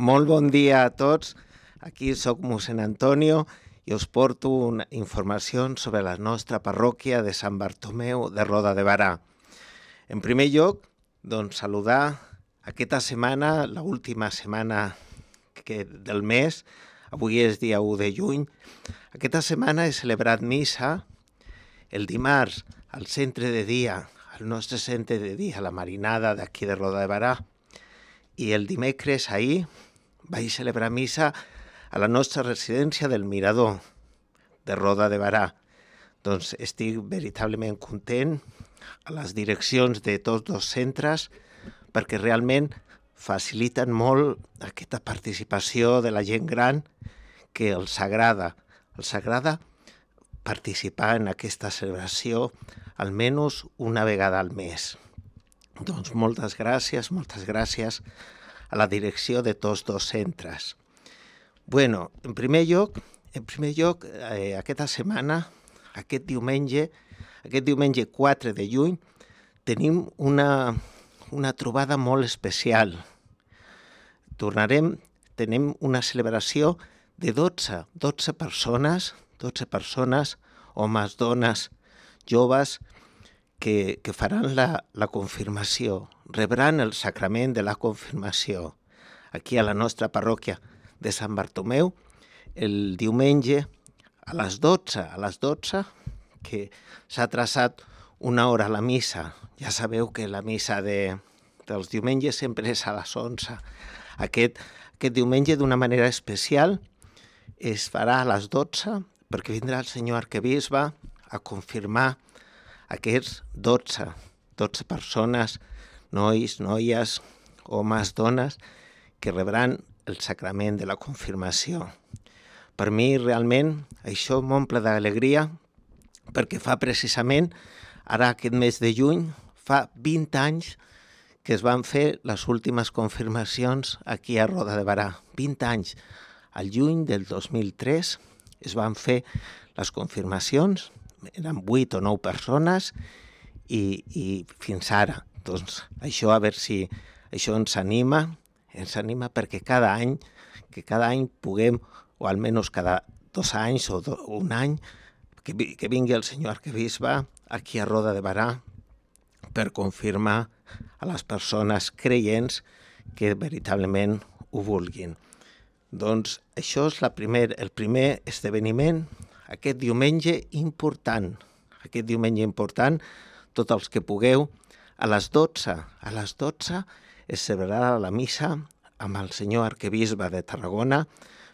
Molt bon dia a tots. Aquí soc mossèn Antonio i us porto una informació sobre la nostra parròquia de Sant Bartomeu de Roda de Barà. En primer lloc, doncs, saludar aquesta setmana, l'última setmana del mes. Avui és dia 1 de juny. Aquesta setmana he celebrat missa el dimarts al centre de dia, al nostre centre de dia, la Marinada d'aquí de Roda de Barà. I el dimecres ahir vaig celebrar missa a la nostra residència del Mirador de Roda de Barà. Doncs estic veritablement content a les direccions de tots dos centres perquè realment faciliten molt aquesta participació de la gent gran que els agrada. Els agrada participar en aquesta celebració almenys una vegada al mes. Doncs moltes gràcies a la direcció de tots dos centres. Bueno, en primer lloc, aquesta setmana, aquest diumenge 4 de juny, tenim una trobada molt especial. Tenim una celebració de 12 persones, homes, dones, joves, que faran la confirmació, rebran el sacrament de la confirmació aquí a la nostra parròquia de Sant Bartomeu el diumenge a les 12, que s'ha traçat una hora a la missa. Ja sabeu que la missa dels diumenges sempre és a les 11. Aquest diumenge, d'una manera especial, es farà a les 12 perquè vindrà el senyor arquebisbe a confirmar aquests 12 persones, nois, noies, homes, dones, que rebran el sacrament de la confirmació. Per mi, realment, això m'omple d'alegria perquè fa precisament, ara aquest mes de juny, fa 20 anys que es van fer les últimes confirmacions aquí a Roda de Barà. 20 anys. Al juny del 2003 es van fer les confirmacions, eren 8 o 9 persones i fins ara. Doncs això, a veure si això ens anima perquè cada any puguem, o almenys cada 2 anys o un any, que vingui el senyor arquebisbe aquí a Roda de Barà per confirmar a les persones creients que veritablement ho vulguin. Doncs això és el primer esdeveniment, aquest diumenge important, tots els que pugueu, a les 12 es celebrarà la missa amb el senyor arquebisbe de Tarragona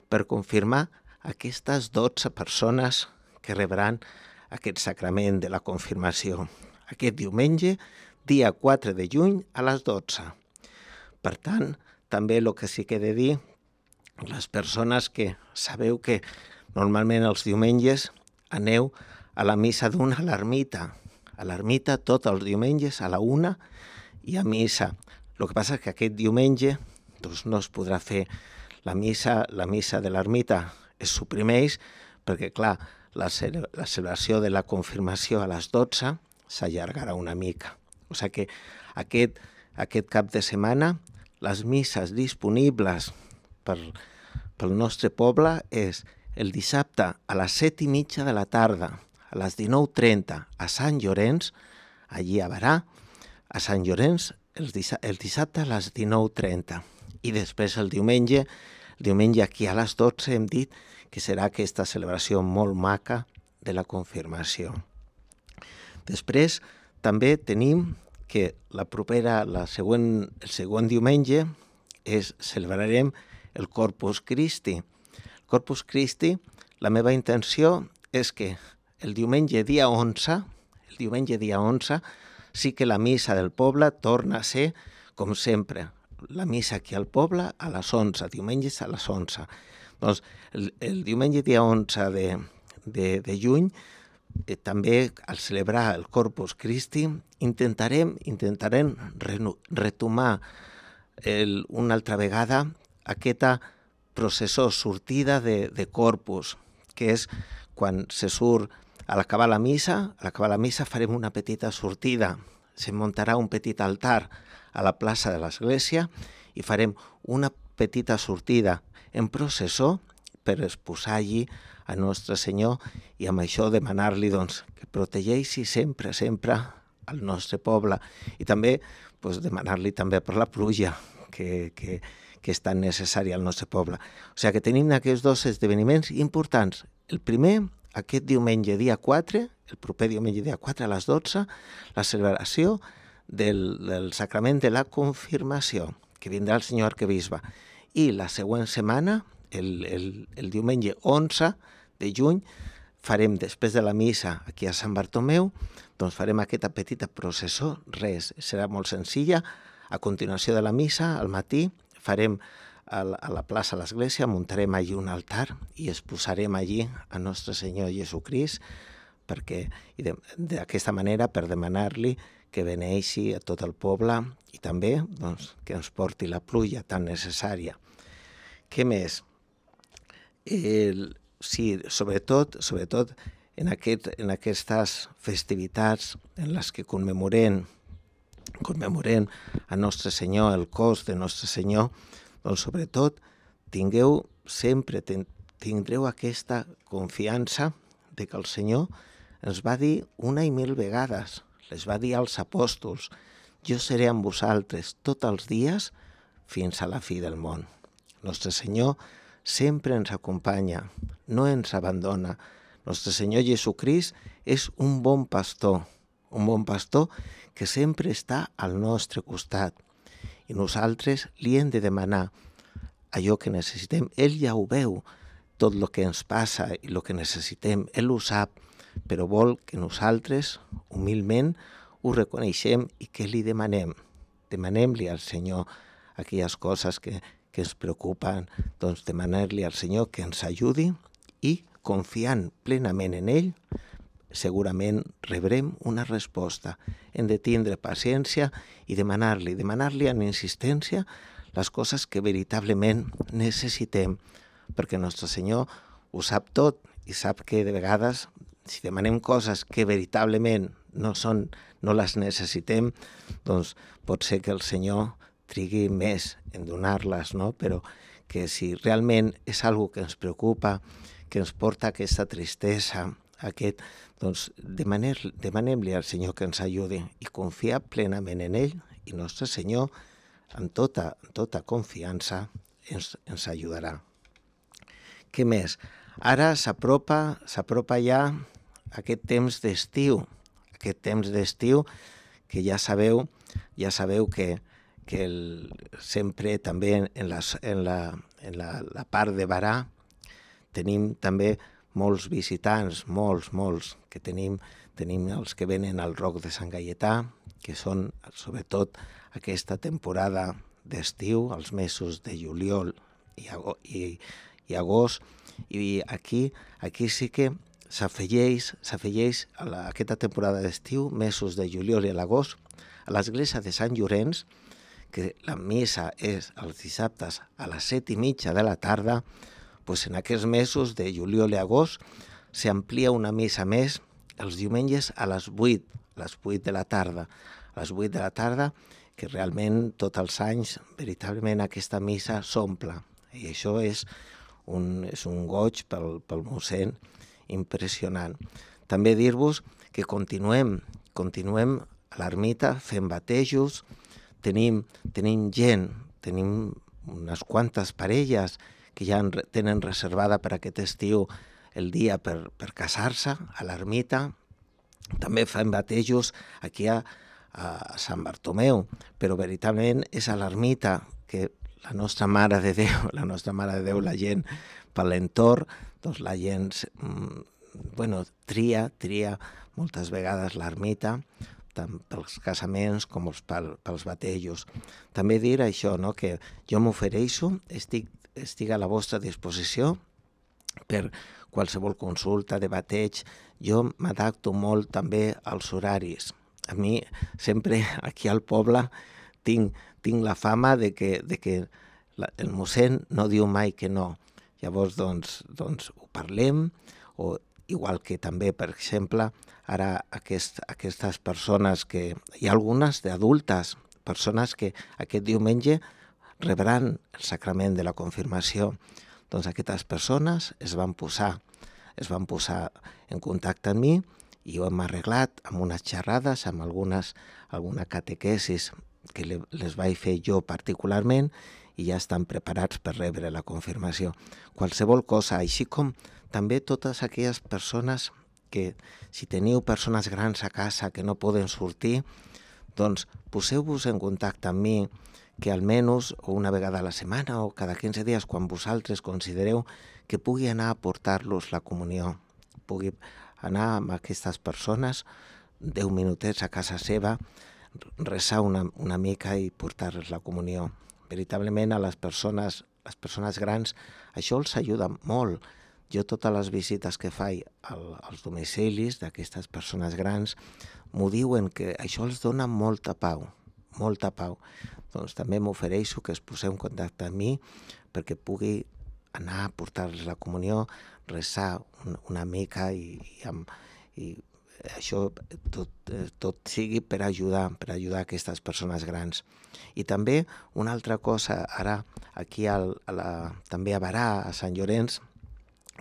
per confirmar aquestes 12 persones que rebran aquest sacrament de la confirmació. Aquest diumenge, dia 4 de juny, a les 12. Per tant, també el que sí que he de dir, les persones que sabeu que normalment els diumenges aneu a la missa d'una a l'ermita. A l'ermita tots els diumenges a la 1 hi ha missa. El que passa és que aquest diumenge doncs, no es podrà fer la missa de l'ermita. Es suprimeix perquè, clar, la celebració de la confirmació a les 12 s'allargarà una mica. O sigui que aquest cap de setmana les misses disponibles pel nostre poble és el dissabte a les 7:30 de la tarda, a les 19:30 a Sant Llorenç, allí a Barà, a Sant Llorenç, el dissabte a les 19:30. I després el diumenge aquí a les 12 hem dit que serà aquesta celebració molt maca de la confirmació. Després també tenim que el següent diumenge celebrarem el Corpus Christi. El Corpus Christi, la meva intenció és que el diumenge dia 11, sí que la missa del poble torna a ser, com sempre, la missa aquí al poble a les 11, diumenges a les 11. Doncs el diumenge dia 11 de juny, també al celebrar el Corpus Christi, intentarem retomar una altra vegada aquesta processó sortida de Corpus, que és quan se surt a l'acabar la missa farem una petita sortida, se muntarà un petit altar a la plaça de l'església i farem una petita sortida en processó per exposar allí a Nostre Senyor i amb això demanar-li doncs, que protegeixi sempre, sempre al nostre poble i també demanar-li també per la pluja que és tan necessària al nostre poble. O sigui que tenim aquests dos esdeveniments importants. El primer, aquest diumenge dia 4, el proper diumenge dia 4 a les 12, la celebració del sacrament de la confirmació, que vindrà el senyor arquebisbe. I la següent setmana, el diumenge 11 de juny, farem, després de la missa aquí a Sant Bartomeu, doncs farem aquesta petita processó, res, serà molt senzilla. A continuació de la missa, al matí, farem a la plaça de l'Església, muntarem allí un altar i exposarem allí a Nostre Senyor Jesucrist, perquè d'aquesta manera per demanar-li que beneixi a tot el poble i també doncs, que ens porti la pluja tan necessària. Què més? Sí, sobretot en aquestes festivitats en les que commemorem a Nostre Senyor, el cos de Nostre Senyor, doncs sobretot tindreu aquesta confiança de que el Senyor ens va dir una i mil vegades, les va dir als apòstols, jo seré amb vosaltres tots els dies fins a la fi del món. Nostre Senyor sempre ens acompanya, no ens abandona. Nostre Senyor Jesucrist és un bon pastor que sempre està al nostre costat. I nosaltres li hem de demanar allò que necessitem. Ell ja ho veu, tot el que ens passa i el que necessitem. Ell ho sap, però vol que nosaltres, humilment, ho reconeixem i que li demanem. Demanem-li al Senyor aquelles coses que ens preocupen, doncs demanar-li al Senyor que ens ajudi i, confiant plenament en ell, segurament rebrem una resposta. Hem de tindre paciència i demanar-li amb insistència les coses que veritablement necessitem, perquè Nostre Senyor ho sap tot i sap que de vegades, si demanem coses que veritablement no les necessitem, doncs pot ser que el Senyor trigui més en donar-les, no? Però que si realment és algo que ens preocupa, que ens porta aquesta tristesa, doncs demanem-li al Senyor que ens ajudi i confiar plenament en ell i Nostre Senyor, amb tota confiança, ens ajudarà. Què més? Ara s'apropa ja aquest temps d'estiu, que ja sabeu que sempre també en la part de Barà tenim també molts visitants, molts, que tenim els que venen al Roc de Sant Gaietà, que són sobretot aquesta temporada d'estiu, els mesos de juliol i agost, i aquí sí que s'afegeix a aquesta temporada d'estiu, mesos de juliol i l'agost, a l'església de Sant Llorenç, que la missa és els dissabtes a les 7:30 de la tarda, doncs en aquests mesos de juliol i agost s'amplia una missa més els diumenges a les 8 de la tarda. A les 8 de la tarda, que realment tots els anys, veritablement aquesta missa s'omple. I això és un goig pel mossèn impressionant. També dir-vos que continuem a l'ermita fent batejos, tenim gent, tenim unes quantes parelles que ja tenen reservada per aquest estiu el dia per casar-se a l'ermita. També fem batejos aquí a Sant Bartomeu, però veritablement és a l'ermita que la nostra Mare de Déu, la gent per l'entorn, doncs la gent tria moltes vegades l'ermita, tant pels casaments com pels batejos. També dir això, no? Que jo m'ofereixo, estic a la vostra disposició per qualsevol consulta de bateig. Jo m'adapto molt també als horaris. A mi sempre aquí al poble tinc la fama de que el mossèn no diu mai que no. Llavors, doncs ho parlem, o igual que també, per exemple, ara aquestes persones que... Hi ha algunes d'adultes, persones que aquest diumenge rebran el sacrament de la confirmació, doncs aquestes persones es van posar en contacte amb mi i ho hem arreglat amb unes xerrades, amb alguna catequesis que les vaig fer jo particularment i ja estan preparats per rebre la confirmació. Qualsevol cosa, així com també totes aquelles persones que si teniu persones grans a casa que no poden sortir, doncs poseu-vos en contacte amb mi, que almenys una vegada a la setmana o cada 15 dies, quan vosaltres considereu que pugui anar a portar-los la comunió, pugui anar amb aquestes persones 10 minutets a casa seva, resar una mica i portar-les la comunió. Veritablement a les persones grans això els ajuda molt. Jo totes les visites que faig als domicilis d'aquestes persones grans m'ho diuen que això els dona molta pau, molta pau. Doncs també m'ofereixo que es poseu en contacte amb mi perquè pugui anar a portar-los la comunió, resar una mica i això tot sigui per ajudar aquestes persones grans. I també una altra cosa, ara aquí també a Barà, a Sant Llorenç,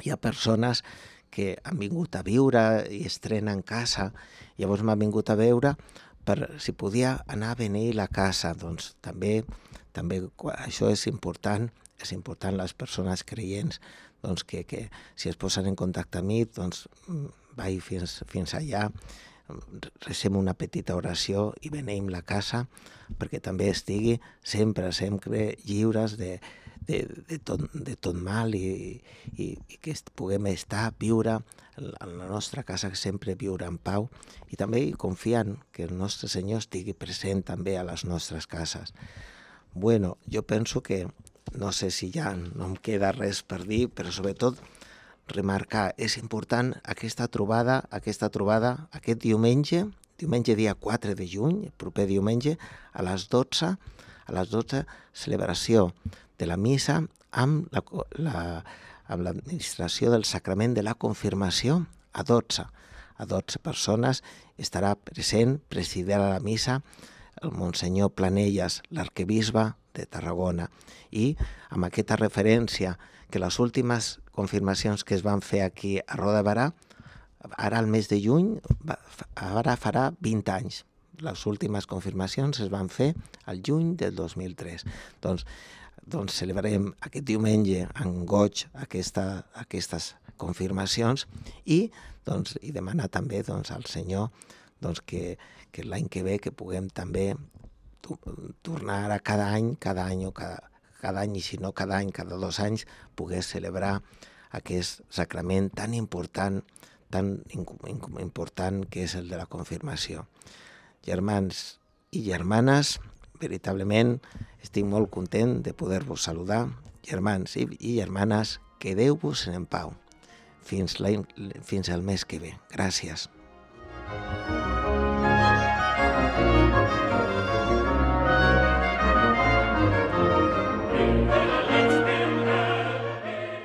hi ha persones que han vingut a viure i estrenen casa, llavors m'han vingut a veure per si podia anar a beneir la casa. Doncs també això és important les persones creients, doncs que si es posen en contacte amb mi, doncs vaig fins allà, recem una petita oració i beneïm la casa perquè també estigui sempre lliures de tot mal i que puguem viure en la nostra casa, sempre viure en pau i també confiant que el nostre Senyor estigui present també a les nostres cases. Bueno, jo penso que no sé si ja no em queda res per dir, però sobretot remarcar, és important aquesta trobada aquest diumenge dia 4 de juny, proper diumenge, a les 12, celebració de la missa amb l'administració del sacrament de la confirmació a 12 persones. Estarà present, presidirà la missa, el Monsenyor Planelles, l'arquebisbe de Tarragona, i amb aquesta referència que les últimes confirmacions que es van fer aquí a Roda de Barà, ara al mes de juny, ara farà 20 anys. Les últimes confirmacions es van fer al juny del 2003. Doncs celebrarem aquest diumenge en goig aquestes confirmacions i demanar també al Senyor que l'any que ve que puguem també tornar a cada any i si no cada any, cada 2 anys, poder celebrar aquest sacrament tan important que és el de la confirmació. Germans i germanes, veritablement estic molt content de poder-vos saludar. Germans i germanes, quedeu-vos en pau. Fins el mes que ve. Gràcies.